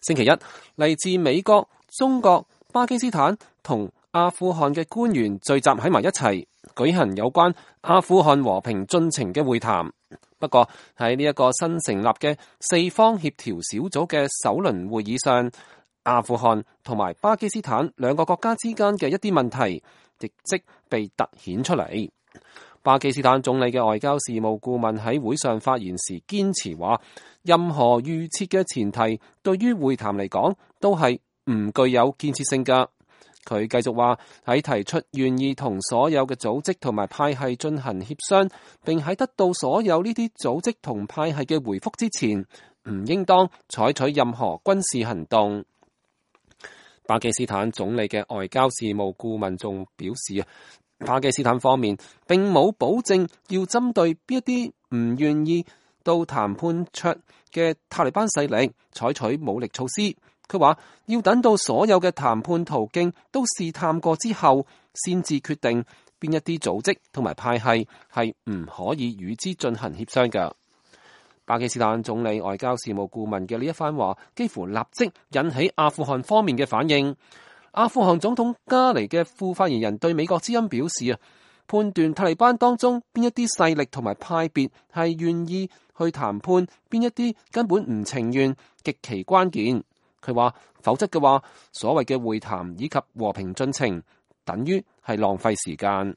星期一，嚟自美國、中國、巴基斯坦同阿富汗嘅官員聚集喺埋一齊，舉行有關阿富汗和平進程嘅會談。不過喺呢一個新成立嘅四方協調小組嘅首輪會議上，阿富汗同埋巴基斯坦兩個國家之間嘅一啲問題，亦即被凸顯出嚟。巴基斯坦總理嘅外交事務顧問喺會上發言時堅持話，任何預設嘅前提對於會談嚟講都係唔具有建設性㗎。佢繼續話，喺提出願意同所有嘅組織同埋派系進行協商，並喺得到所有呢啲組織同派系嘅回覆之前，唔應當採取任何軍事行動。巴基斯坦總理嘅外交事務顧問仲表示，巴基斯坦方面並冇保證要針對邊一啲唔願意到談判桌嘅塔利班勢力採取武力措施。佢話要等到所有嘅談判途徑都試探過之後，先至決定邊一啲組織同埋派系係唔可以與之進行協商嘅。巴基斯坦總理外交事務顧問嘅呢一番話，幾乎立即引起阿富汗方面嘅反應。阿富汗總統加尼嘅副發言人對美國之音表示，判斷塔利班當中邊一啲勢力同埋派別係願意去談判，邊一啲根本唔情願，極其關鍵。佢話，否則嘅話，所謂嘅會談以及和平進程，等於係浪費時間。